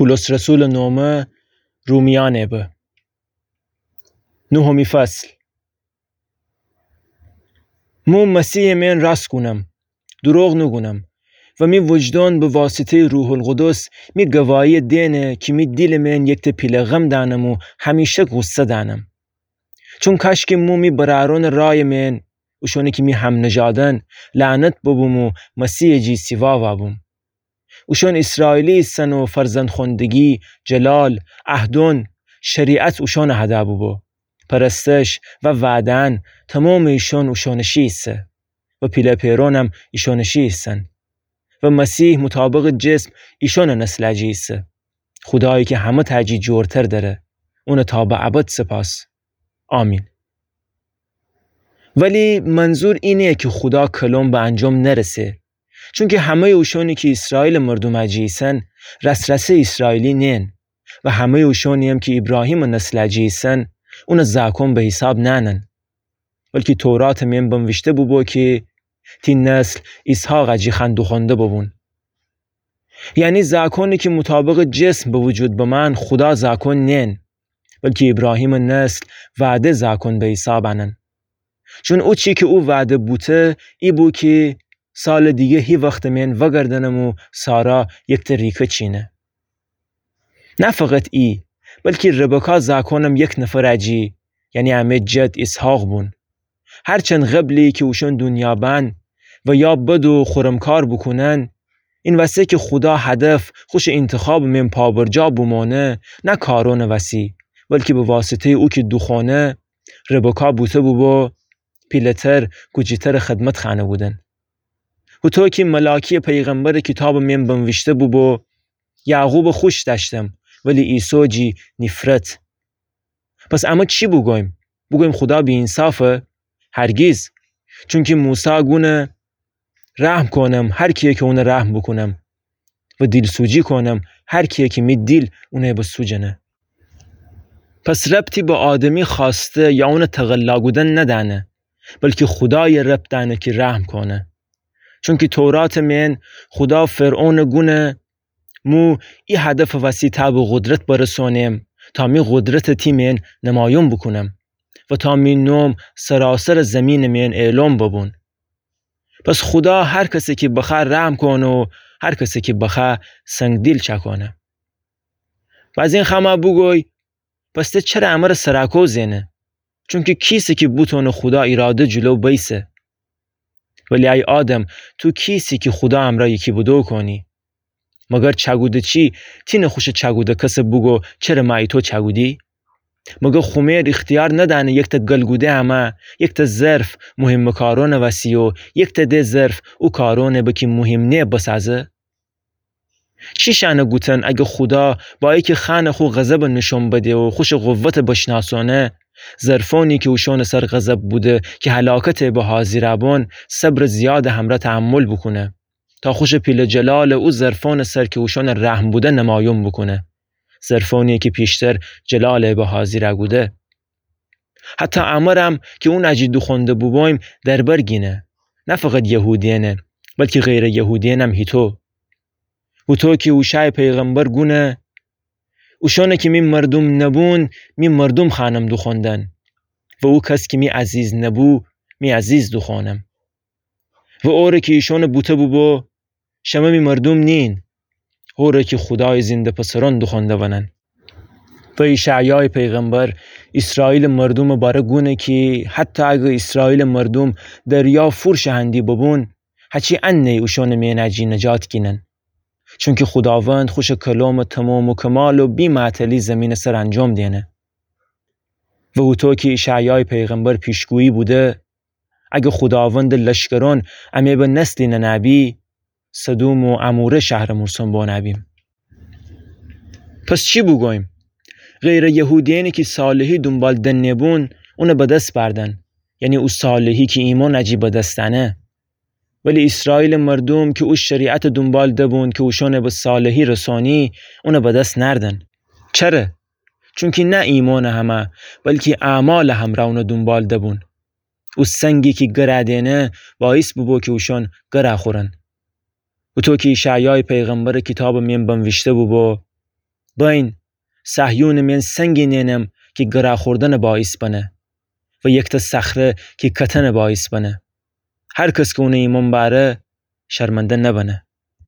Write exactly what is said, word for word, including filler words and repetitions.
پولس رسولٚ نومه رومیأنٚ به. نوهمی فصل. مو مسیحٚ مئن راست گونم، دوروغ نوگونم و می وجدان به واسطه‌یٚ روح‌القدس می گواهی‌یَ دئنه کی می دیلٚ مئن یکته پیله غم دأنم و همیشک غوصه دأنم. چون کاشکی مو می برأرأنٚ رأیٚ مئن، اوشأنی کی می همنژادن، لعنت ببوم و مسیحٚ جی سیوا وابوم. اوشأن ایسرائیلی ایسن و فرزندخوأندگی، جلال، عهدأن، شریعت اوشأنٚ هده بوبو. پرستش و وعده‌أن تمامٚ ایشأن اوشأنٚ شی ایسه و پیله پئرأنم ایشأنٚ شی ایسن و مسیح مطابقٚ جسم ایشأنٚ نسلٚ جی ایسه. خودایی کی همه‌تأ جی جورتر دأره، اونَ تا به ابد سپاس. آمین. ولی منظور ای نییه کی خودا کلم به انجام نرسه، چونکی همه‌یٚ اوشأنی کی ایسرائیلٚ مردومٚ جی ایسن، راس‌راسه ایسرائیلی نیین و همه‌یٚ اوشأنی‌یم کی ایبراهیمٚ نسلٚ جی ایسن، اونَ زاکون به حیساب نأنن. بلکی توراتٚ مئن بنویشته بوبو کی تی نسل ایسحاقٚ جی خوأن دوخوأنده ببون. یعنی زاکونی کی مطابقٚ جسم به وجود بمأن، خودا زاکون نیین، بلکی ایبراهیمٚ نسل وعده زاکون به حیساب أنن. چون او چی کی او وعده بوته، ای بو کی سالٚ دیگه هی وختٚ مئن وأگردنم و سارا یکته ریکه چینه. نه فقط ای، بلکی ربکا زاکونم یک نفرٚ جی، یعنی امه جد ایسحاق بون. هرچند قبلی کی اوشأن دونیا بأن و یا بد و خورمکار بوکونن، این وسه کی خودا هدف خوشٚ اینتخابٚ مئن پابرجا بومأنه، نه کارأنٚ وسی، بلکی به واسطه‌یٚ او کی دوخوأنه، ربکا بوته بوبو پیله‌تر، کوجی‌ترٚ خدمت خوأنه بودن. هوطو کی ملاکی‌یٚ پیغمبرٚ کیتابٚ مئن بنویشته بوبو، یعقوبَ خوش دأشتم، ولی عیسو جی نیفرت. پس امه چی بوگویم؟ بوگویم خودا بی‌اینصافه؟ هرگیز. چونکی موسی گونه، رحم کونم هر کیی کی اونَ رحم بوکونم و دیلسوجی کونم هر کیی کی می دیل اونَ بسوجنه. پس ربطی به آدمی خوأسته یا اونَ تقلا کودن ندأنه، بلکی خودایَ ربط دأنه کی رحم کونه. چونکی توراتٚ مئن خودا فرعونَ گونه، مو ای هدفٚ وسی تأ به قدرت برسونم، تا می قدرتَ تی مئن نمایون بوکونم و تا می نوم سراسرٚ زیمینٚ مئن اعلام ببون. پس خودا هر کسَ کی بخوأ رحم کونه و هر کسَ کی بخوأ سنگدیل چأکونه. و از این خمه بوگوی، پس ته چره امره سراکو زئنه؟ چونکی کیسه کی بوتونه خودا ایراده جلو بیسه؟ ولی ای آدم، تو کیسی کی خودا امرأ یکی بدو کونی؟ مگر چأکوده چی تینه خوشٚ چأکوده کسَ بوگو چره مه ایتو چأکودی؟ مگر خمر ایختیار ندأنه یکتأ گل‌کوده امه، یکتأ ظرف مهمٚ کارأنٚ وسی و یکتأ ده ظرف او کارأنٚ به کی مهم نییه بسازه؟ چی شأنه گوتن اگه خودا با ایکه خوأنٚ خو غضبٚ نشون بده و خوشٚ قوتٚ بشناسونه، ظرفأنی کی اوشأنٚ سر غضب بوده کی هلاکتٚ به حاضیرأ بون، صبرٚ زیادٚ همرأ تحمل بوکونه، تا خوشٚ پیله جلالٚ او ظرفأنٚ سر کی اوشأنٚ رحم بوده نمایون بوکونه، ظرفأنی کی پیشتر جلالٚ به حاضیرأ کوده. حتی امرم کی اونٚ جی دوخوأنده بوبویم دربر گینه، نه فقط یهودیأنه، بلکی غیرٚ یهودیأنم هیتو. هوطو کی اوشای پیغمبر گونه، اوشأنی کی می مردوم نبون، می مردوم خوأنم دوخوأندن، و او کس کی می عزیز نبو، می عزیز دوخوأنم. و اوره کی ایشأنٚ بوته بوبو، شمه می مردوم نیین، هوره کی خودایٚ زنده پسرأن دوخوأنده ونن. و ایشعیایٚ پیغمبر ایسرائیلٚ مردومٚ باره گونه کی حتی اگر ایسرائیلٚ مردوم دریا فور شهندی ببون، هچی انه اوشأنٚ مئن جی نجات گینن. چونکی خوداوند خوشٚ کلامٚ تمام و کمال و بی‌معطلی زیمینٚ سر انجام دئنه. و هوطو کی ایشعیایٚ پیغمبر پیشگویی بوده، اگه خوداوندٚ لشکرأن امه به نسلی ننأبی، سدوم و عموره شهرٚ مورسأن بانأبیم. پس چی بوگویم؟ غیرٚ یهودیأنی کی صالحی دونبال دنه بون، اونٚ به دس بأردن، یعنی او صالحی کی ایمأنٚ جی به دس دأنه. ولی ایسرائیلٚ مردوم کی او شریعتٚ دونبال دبون کی اوشأنٚ به صالحی رسأنی، اونٚ به دس نأردن. چره؟ چونکی نه ایمأنٚ همه، بلکی اعمالٚ همرأ اونٚ دونبال دبون. او سنگی کی گرأ دئنه، باعث بوبو کی اوشأن گرأ خورن. هوطو کی ایشعیایٚ پیغمبرٚ کیتابٚ مئن بنویشته بوبو، بأین، صهیونٚ مئن سنگی نئنم کی گرا خوردنٚ باعث بنه و یکته صخره کی کتنٚ باعث بنه. هر کس کی اونٚ ایمأن بأره، شرمنده نبنه.